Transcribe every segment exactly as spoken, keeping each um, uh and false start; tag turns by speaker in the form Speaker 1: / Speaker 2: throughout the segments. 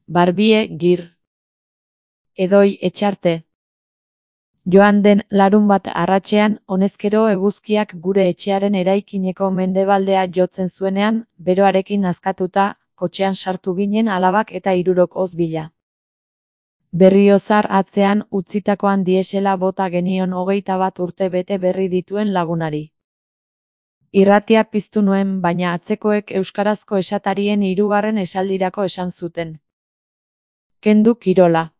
Speaker 1: Barbie Gir. Edoi Etxarte. Joan den larunbat arratsean, honezkero eguzkiak gure etxearen eraikineko mendebaldea jotzen zuenean, beroarekin nazkatuta, kotxean sartu ginen alabak eta hirurok oz bila. Berriozar atzean utzitakoan diesela bota genion hogeita bat urte bete berri dituen lagunari. Irratia piztu nuen, baina atzekoek euskarazko esatarien hirugarren esaldirako esan zuten. Kendu kirola.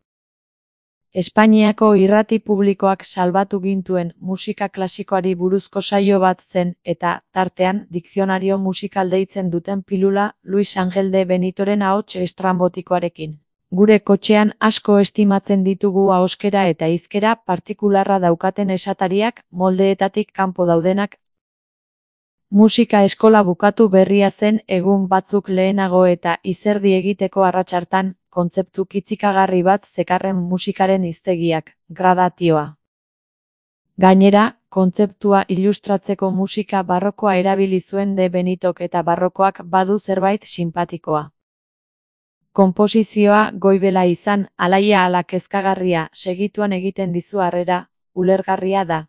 Speaker 1: Espainiako irrati publikoak salbatu gintuen musika klasikoari buruzko saio bat zen, eta, tartean, dikzionario musikal deitzen duten pilula, Luis Angel de Benitoren ahots estrambotikoarekin. Gure kotxean asko estimatzen ditugu ahoskera eta hizkera partikularra daukaten esatariak, moldeetatik kanpo daudenak. Musika eskola bukatu berria zen egun batzuk lehenago eta izerdi egiteko arratsartan, kontzeptu kitzikagarri bat zekarren musikaren hiztegiak, gradatioa. Gainera, kontzeptua ilustratzeko musika barrokoa erabili zuen de Benitok eta barrokoak badu zerbait sinpatikoa. Konposizioa goibela izan, alaia ala kezkagarria, segituan egiten dizu harrera, ulergarria da.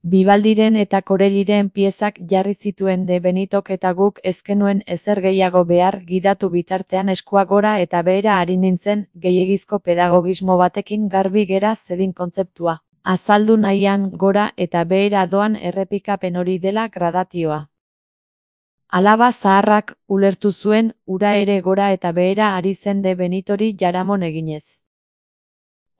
Speaker 1: Bibaldiren eta Korelliren piezak jarri zituen de Benitok eta guk ezkenuen ezer gehiago behar gidatu bitartean eskua gora eta behera ari nintzen, gehiegizko pedagogismo batekin garbi gera zedin kontzeptua. Azaldu nahian gora eta behera doan errepikapen hori dela gradatioa. Alaba zaharrak ulertu zuen, ura ere gora eta behera ari zen de Benitori jaramon eginez.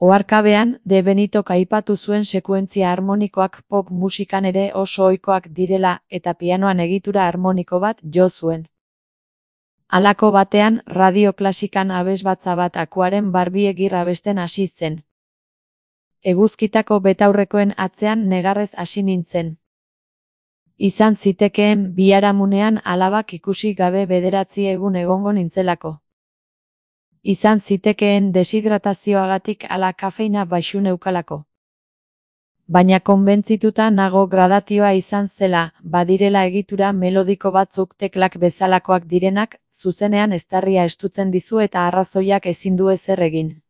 Speaker 1: Oharkabean, de Benitok aipatu zuen sekuentzia harmonikoak pop musikan ere oso ohikoak direla eta pianoan egitura harmoniko bat jo zuen. Halako batean, radio klasikan abesbatza bat akuaren Barbie Gir abesten hasi zen. Eguzkitako betaurrekoen atzean negarrez hasi nintzen. Izan zitekeen biharamunean alabak ikusi gabe bederatzi egun egongo nintzelako. Izan zitekeen deshidratazioagatik ala kafeina baxu neukalako. Baina konbentzituta nago gradatioa izan zela, badirela egitura melodiko batzuk teklak bezalakoak direnak, zuzenean eztarria estutzen dizu eta arrazoiak ezin du ezer egin.